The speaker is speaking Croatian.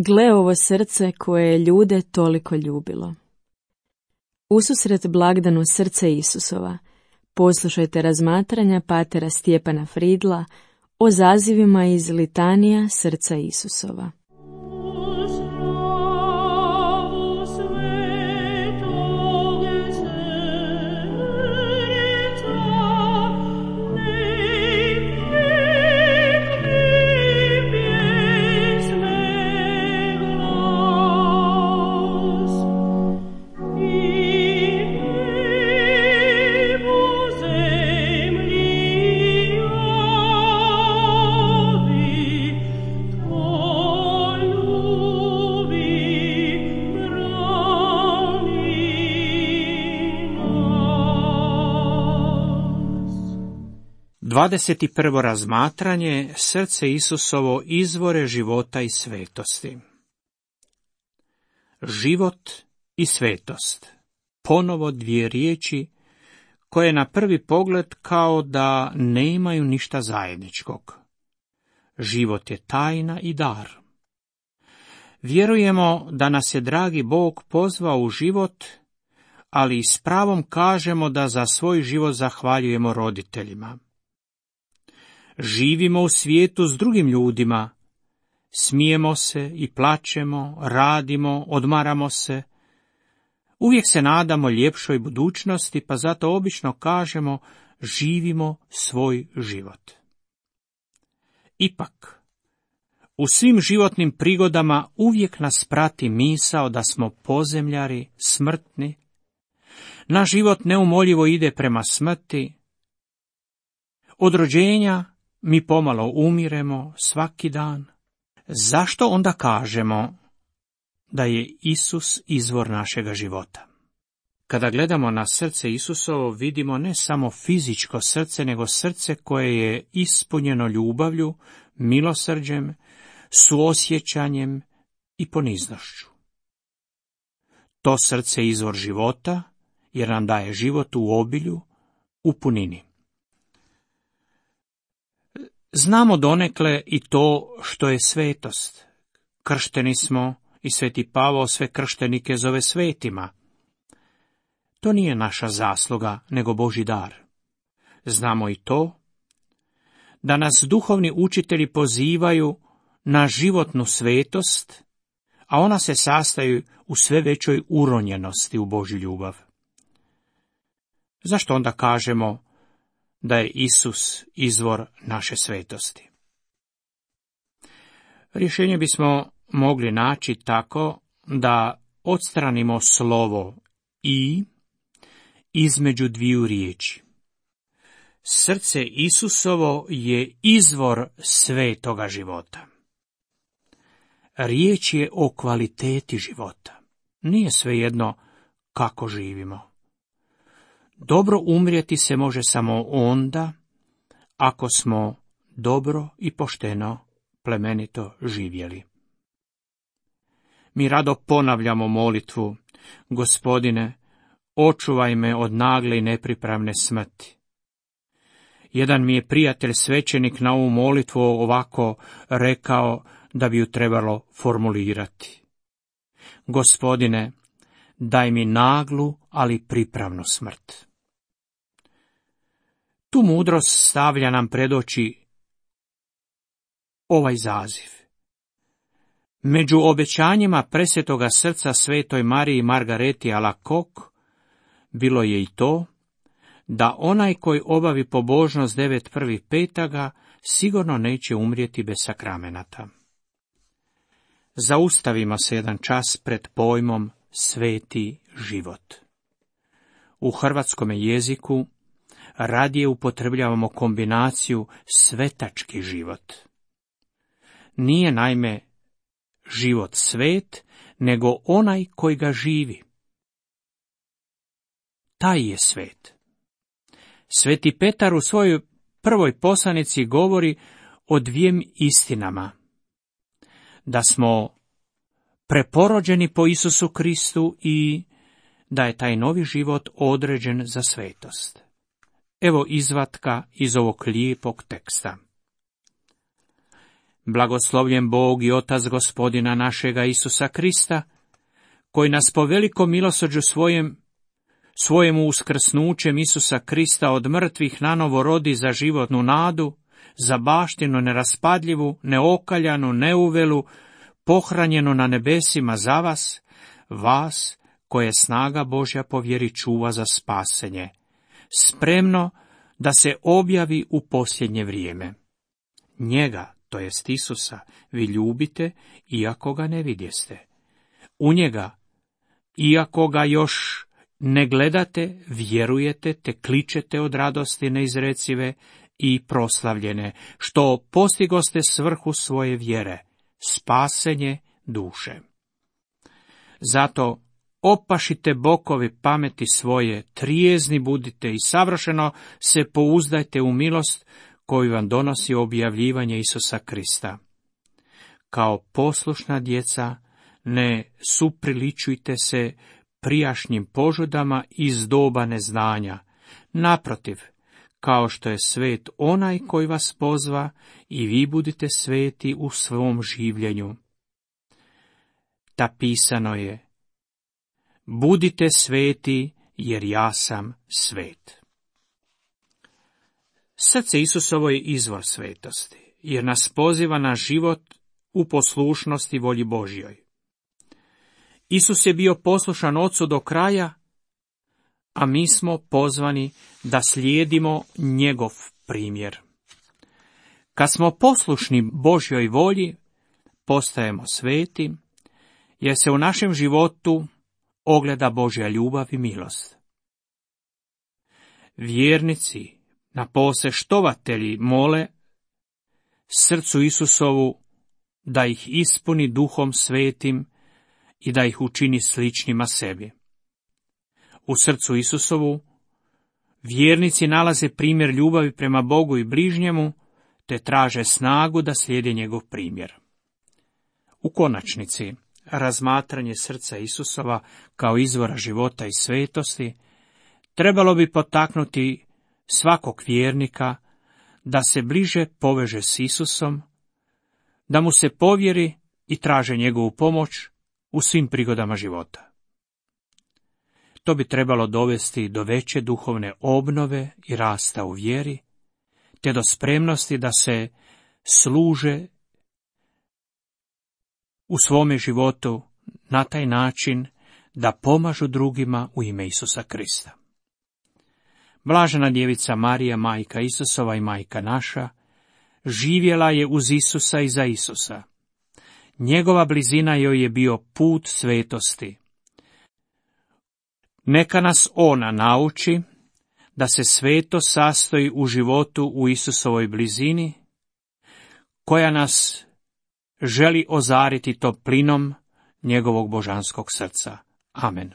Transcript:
Gle ovo srce koje je ljude toliko ljubilo. Ususret blagdanu srce Isusova, poslušajte razmatranja patera Stjepana Fridla o zazivima iz litanija srca Isusova. Dvadeset prvo razmatranje, srce Isusovo, izvore života i svetosti. Život i svetost, ponovo dvije riječi koje na prvi pogled kao da ne imaju ništa zajedničkog. Život je tajna i dar. Vjerujemo da nas je dragi Bog pozvao u život, ali i s pravom kažemo da za svoj život zahvaljujemo roditeljima. Živimo u svijetu s drugim ljudima, smijemo se i plačemo, radimo, odmaramo se. Uvijek se nadamo ljepšoj budućnosti, pa zato obično kažemo živimo svoj život. Ipak, u svim životnim prigodama uvijek nas prati misao da smo pozemljari, smrtni. Naš život neumoljivo ide prema smrti. Od rođenja mi pomalo umiremo svaki dan. Zašto onda kažemo da je Isus izvor našega života? Kada gledamo na srce Isusovo, vidimo ne samo fizičko srce, nego srce koje je ispunjeno ljubavlju, milosrđem, suosjećanjem i poniznošću. To srce je izvor života, jer nam daje život u obilju, u punini. Znamo donekle i to što je svetost. Kršteni smo i Sveti Pavao sve krštenike zove svetima. To nije naša zasluga, nego Božji dar. Znamo i to da nas duhovni učitelji pozivaju na životnu svetost, a ona se sastoji u sve većoj uronjenosti u Božju ljubav. Zašto onda kažemo da je Isus izvor naše svetosti? Rješenje bismo mogli naći tako da odstranimo slovo i između dviju riječi. Srce Isusovo je izvor svetoga života. Riječ je o kvaliteti života. Nije svejedno kako živimo. Dobro umrijeti se može samo onda ako smo dobro i pošteno, plemenito živjeli. Mi rado ponavljamo molitvu: Gospodine, očuvaj me od nagle i nepripravne smrti. Jedan mi je prijatelj svećenik na ovu molitvu ovako rekao da bi ju trebalo formulirati: Gospodine, daj mi naglu, ali pripravnu smrt. Tu mudrost stavlja nam pred oči ovaj zaziv. Među obećanjima presvetoga srca svetoj Mariji Margareti Alacoque bilo je i to da onaj koji obavi pobožnost 9 prvih petaga sigurno neće umrijeti bez sakramenata. Zaustavimo se jedan čas pred pojmom sveti život. U hrvatskom jeziku radije upotrebljavamo kombinaciju svetački život. Nije naime život svet, nego onaj koji ga živi. Taj je svet. Sveti Petar u svojoj prvoj poslanici govori o dviem istinama: da smo preporođeni po Isusu Kristu i da je taj novi život određen za svetost. Evo izvatka iz ovog lijepog teksta. Blagoslovljen Bog i Otac Gospodina našega Isusa Krista, koji nas po velikom milosrđu svojemu uskrsnućem Isusa Krista od mrtvih nanovo rodi za životnu nadu, za baštinu neraspadljivu, neokaljanu, neuvelu, pohranjenu na nebesima za vas, vas koje snaga Božja po vjeri čuva za spasenje, spremno da se objavi u posljednje vrijeme. Njega, to jest Isusa, vi ljubite, iako ga ne vidjeste. U njega, iako ga još ne gledate, vjerujete te kličete od radosti neizrecive i proslavljene, što postigoste svrhu svoje vjere, spasenje duše. Zato opašite bokovi pameti svoje, trijezni budite i savršeno se pouzdajte u milost koju vam donosi objavljivanje Isusa Krista. Kao poslušna djeca, ne supriličujte se prijašnjim požudama iz doba neznanja. Naprotiv, kao što je svet onaj koji vas pozva, i vi budite sveti u svom življenju. Ta pisano je: budite sveti, jer ja sam svet. Srce Isusovo je izvor svetosti, jer nas poziva na život u poslušnosti volji Božjoj. Isus je bio poslušan Ocu do kraja, a mi smo pozvani da slijedimo njegov primjer. Kad smo poslušni Božjoj volji, postajemo sveti, jer se u našem životu ogleda Božja ljubav i milost. Vjernici, napose štovatelji, mole srcu Isusovu da ih ispuni Duhom Svetim i da ih učini sličnima sebi. U srcu Isusovu vjernici nalaze primjer ljubavi prema Bogu i bližnjemu, te traže snagu da slijede njegov primjer. U konačnici, razmatranje srca Isusova kao izvora života i svetosti trebalo bi potaknuti svakog vjernika da se bliže poveže s Isusom, da mu se povjeri i traže njegovu pomoć u svim prigodama života. To bi trebalo dovesti do veće duhovne obnove i rasta u vjeri, te do spremnosti da se služe u svome životu na taj način da pomažu drugima u ime Isusa Krista. Blažena djevica Marija, majka Isusova i majka naša, živjela je uz Isusa i za Isusa. Njegova blizina joj je bio put svetosti. Neka nas ona nauči da se sveto sastoji u životu u Isusovoj blizini, koja nas želi ozariti toplinom njegovog božanskog srca. Amen.